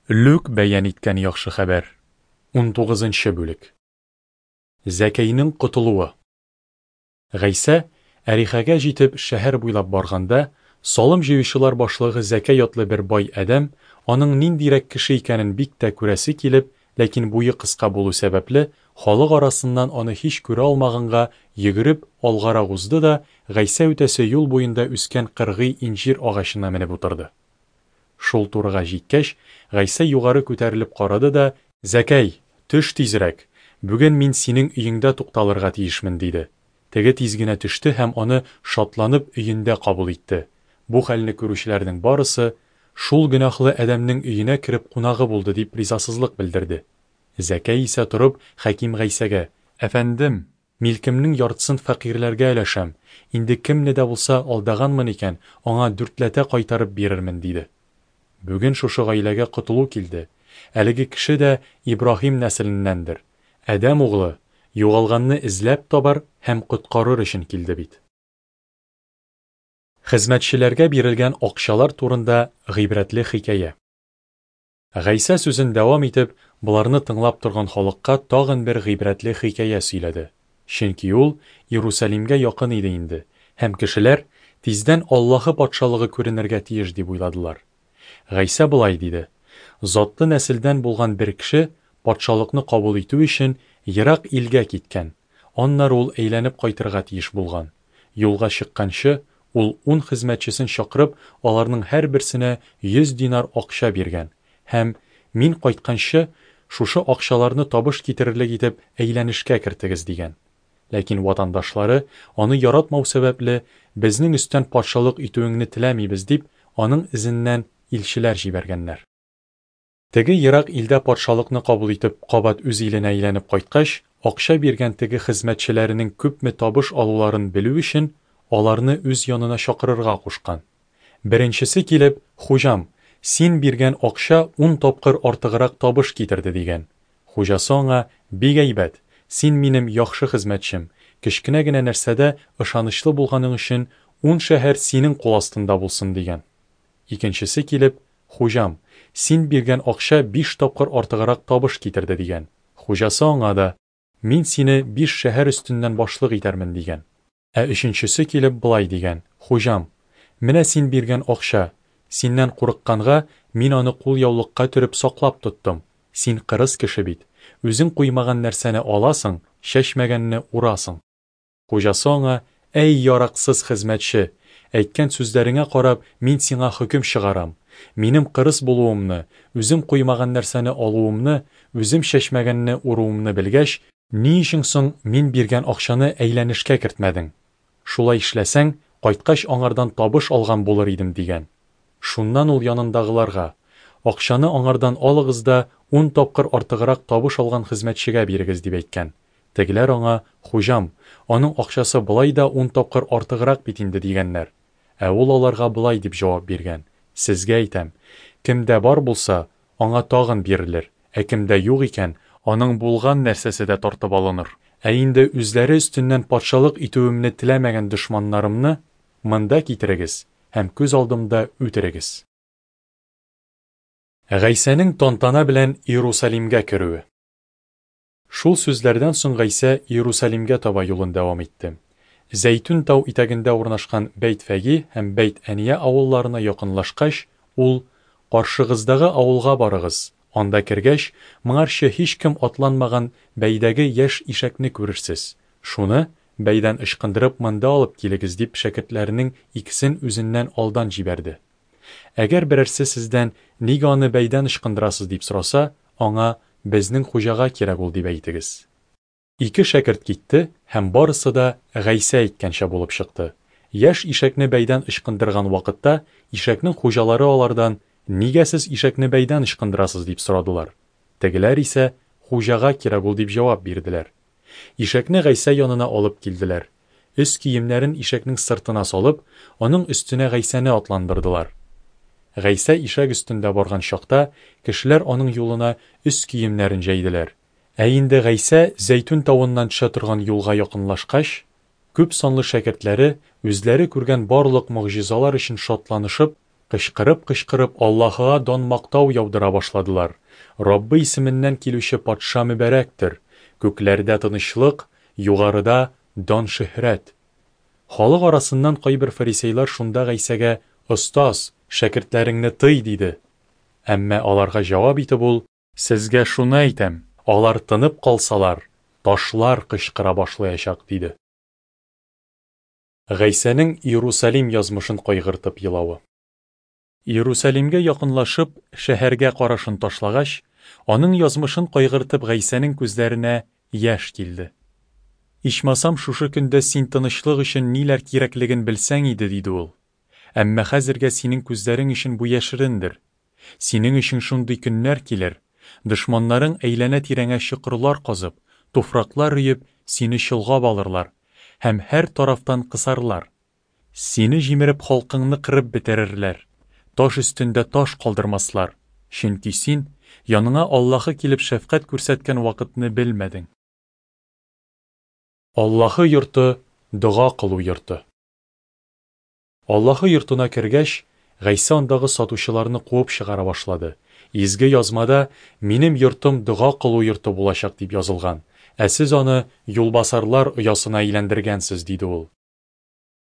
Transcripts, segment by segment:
Лүк бәян иткән яхшы хәбәр. Унтугызынчы бүлек. Зәкәйнең котылуы. Гайсә, Әрихәгә җитеп, шәһәр буйлап барганда, салым җыючылар башлыгы Зәкәй атлы бер бай адәм, аның ниндирәк кеше икәнен бик тә күрәсе килеп, ләкин буе кыска булу сәбәпле, халык арасыннан аны һич күрә алмаганга, йөгереп, алгарак узды да Гайсә үтәсе юл буенда үскән кыргый инҗир агачына менеп утырды. Шул турыга җиткәч, Гайсә югары күтәрелеп карады да, Зәкәй, төш тизрәк, бүген мин синең өеңдә тукталырга тиешмен, диде. Теге тиз генә төште һәм аны шатланып өендә кабул итте. Бу хәлне күрүчеләрнең барысы, Шул гөнаһлы адәмнең өенә кереп кунагы булды, дип ризасызлык белдерде. Зәкәй исә торып, хәким Гайсәгә, Әфәндем! Милкемнең яртысын фәкыйрьләргә өләшәм, инде кемне дә булса алдаганмын икән, аңа дүртләтә кайтарып бирермен, диде. Бүген шушы гаиләгә котылу килде. Әлеге кеше дә Ибраһим нәселеннәндер. Адәм углы, югалганны эзләп табар һәм коткарыр өчен килде бит. Хезмәтчеләргә бирелгән акчалар турында гыйбрәтле хикәя. Гайсә сүзен дәвам итеп, боларны тыңлап торган халыкка тагын бер гыйбрәтле хикәя сөйләде. Чөнки ул Иерусалимгә якын иде инде, һәм кешеләр, тиздән Аллаһы Патшалыгы күренергә тиеш дип уйладылар. Гайсә болай диде, Затлы нәселдән булган бер кеше, Патшалыкны кабул итү өчен, ерак илгә киткән. Аннары ул әйләнеп кайтырга тиеш булган. Юлга чыкканчы, ул ун хезмәтчесен чакырып, аларның һәрберсенә 100 динар акча биргән һәм, Мин кайтканчы, шушы акчаларны табыш китерерлек итеп әйләнешкә кертегез, дигән. Ләкин ватандашлары, аны яратмау сәбәпле, Безнең өстән патшалык итүеңне теләмибез, дип, аның эзеннән илчеләр җибәргәннәр. Теге ерак илдә патшалыкны кабул итеп, кабат үз иленә әйләнеп кайткач, акча биргән теге хезмәтчеләренең күпме табыш алуларын белү өчен, аларны үз янына чакырырга кушкан. Беренчесе килеп, Хуҗам, син биргән акча ун тапкыр артыграк табыш китерде, дигән. Хуҗасы аңа, Бик әйбәт, син минем яхшы хезмәтчем, кечкенә генә нәрсәдә ышанычлы булганың өчен ун шәһәр синең кул астында булсын, дигән. Икенчесе килеп, Хуҗам, син биргән акча биш тапкыр артыграк табыш китерде, дигән. Хуҗасы аңа да, Мин сине биш шәһәр өстеннән башлык итәрмен, дигән. Ә өченчесе килеп болай дигән, Хуҗам, менә син биргән акча, синнән курыкканга, мин аны кулъяулыкка төреп саклап тоттым, син кырыс кеше бит, үзең куймаган нәрсәне аласың, чәчмәгәнне урасың. Хуҗасы аңа, Әй, яраксыз хезмәтче! Әйткән сүзләреңә карап, мин сиңа хөкем чыгарам. Минем кырыс булуымны, үзем куймаган нәрсәне алуымны, үзем чәчмәгәнне уруымны белгәч, ни өчен соң мин биргән акчаны әйләнешкә кертмәдең? Шулай эшләсәң, кайткач аңардан табыш алган булыр идем, дигән. Шуннан ул янындагыларга, Акчаны аңардан алыгыз да ун тапкыр артыграк табыш алган хезмәтчегә бирегез, дип әйткән. Тегеләр аңа, Хуҗам, аның акчасы болай да ун тапкыр артыграк бит инде, дигәннәр. Ә ул аларга болай дип җавап биргән, Сезгә әйтәм, кемдә бар булса, аңа тагын бирелер, ә кемдә юк икән, аның булган нәрсәсе дә тартып алыныр. Ә инде үзләре өстеннән патшалык итүемне теләмәгән дошманнарымны монда китерегез һәм күз алдымда үтерегез. Гайсәнең тантана белән Иерусалимгә керүе. Шул сүзләрдән соң Гайсә Иерусалимгә таба юлын дәвам итте. Зәйтүн тау итәгендә урнашкан Бәйт-Фәги һәм Бәйт-Әния авылларына якынлашкач, ул, Каршыгыздагы авылга барыгыз, анда кергәч, моңарчы һичкем атланмаган бәйдәге яшь ишәкне күрерсез. Шуны, бәйдән ычкындырып, монда алып килегез, дип шәкертләренең икесен үзеннән алдан җибәрде. Әгәр берәрсе сездән, Нигә аны бәйдән ычкындырасыз, дип сораса, аңа, Безнең Хуҗага кирәк ул, дип әйтегез. Ике шәкерт китте, һәм барысы да Гайсә әйткәнчә булып чыкты. Яшь ишәкне бәйдән ычкындырган вакытта, ишәкнең хуҗалары алардан, Нигә сез ишәкне бәйдән ычкындырасыз, дип сорадылар. Тегеләр исә, Хуҗага кирәк ул, дип җавап бирделәр. Ишәкне Гайсә янына алып килделәр. Өс киемнәрен ишәкнең сыртына салып, аның өстенә Гайсәне атландырдылар. Гайсә ишәк өстендә барган чакта, кешеләр аның юлына өс киемнәрен җәйделәр. Ә инде Гайсә Зәйтүн тавыннан төшә торган юлга якынлашкач, күп санлы шәкертләре, үзләре күргән барлык могҗизалар өчен шатланышып, кычкырып-кычкырып, Аллаһыга дан-мактау яудыра башладылар, Раббы исеменнән килүче Патша мөбарәктер! Күкләрдә тынычлык, югарыда дан-шөһрәт! Халык арасыннан кайбер фарисейлар шунда Гайсәгә, Остаз, шәкертләреңне тый, диде. Әмма аларга җавап итеп ул, Сезгә шуны әйтәм, алар тынып калсалар, ташлар кычкыра башлаячак, диде. Гайсәнең Иерусалим язмышын кайгыртып елавы. Иерусалимгә якынлашып, шәһәргә карашын ташлагач, аның язмышын кайгыртып Гайсәнең күзләренә яшь килде. Ичмасам, шушы көндә син тынычлык өчен ниләр кирәклеген белсәң иде, диде ул. Әмма хәзергә синең күзләрең өчен бу яшерендер. Синең өчен шундый көннәр килер, дошманнарың әйләнә-тирәңә чокырлар казып, туфраклар өеп, сине чолгап алырлар һәм һәр тарафтан кысарлар. Сине җимереп халкыңны кырып бетерерләр, таш өстендә таш калдырмаслар, чөнки син яныңа Аллаһы килеп шәфкать күрсәткән вакытны белмәдең. Аллаһы йорты, дога кылу йорты. Аллаһы йортына кергәч, Гайсә андагы сатучыларны куып чыгара башлады. Изге Язмада, Минем йортым дога кылу йорты булачак, дип язылган, ә сез аны юлбасарлар оясына әйләндергәнсез, диде ул.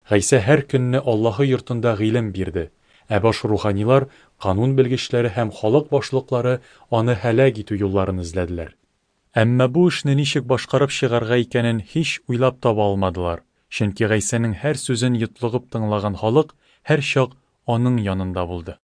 Гайсә һәр көнне Аллаһы йортында гыйлем бирде, ә баш руханилар, канун белгечләре һәм халык башлыклары аны һәлак итү юлларын эзләделәр. Әмма бу эшне ничек башкарып чыгарга икәнен һич уйлап таба алмадылар, чөнки Гайсәнең һәр сүзен йотлыгып тыңлаган халык һәрчак аның янында булды.